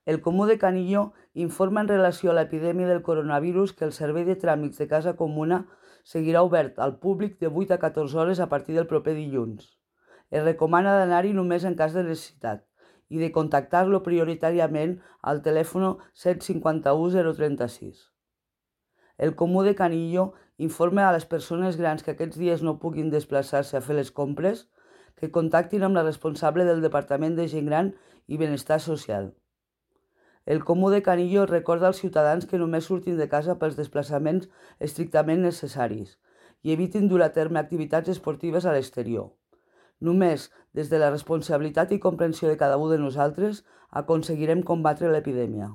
El Comú de Canillo informa en relació a l'epidèmia del coronavirus que el servei de tràmits de Casa Comuna seguirà obert al públic de 8 a 14 hores a partir del proper dilluns. Es recomana d'anar-hi només en cas de necessitat i de contactar-lo prioritàriament al telèfon 151 036. El Comú de Canillo informa a les persones grans que aquests dies no puguin desplaçar-se a fer les compres que contactin amb la responsable del Departament de Gent Gran i Benestar Social. El Comú de Canillo recorda als ciutadans que només surtin de casa pels desplaçaments estrictament necessaris i evitin dur a terme activitats esportives a l'exterior. Només des de la responsabilitat i comprensió de cada un de nosaltres aconseguirem combatre l'epidèmia.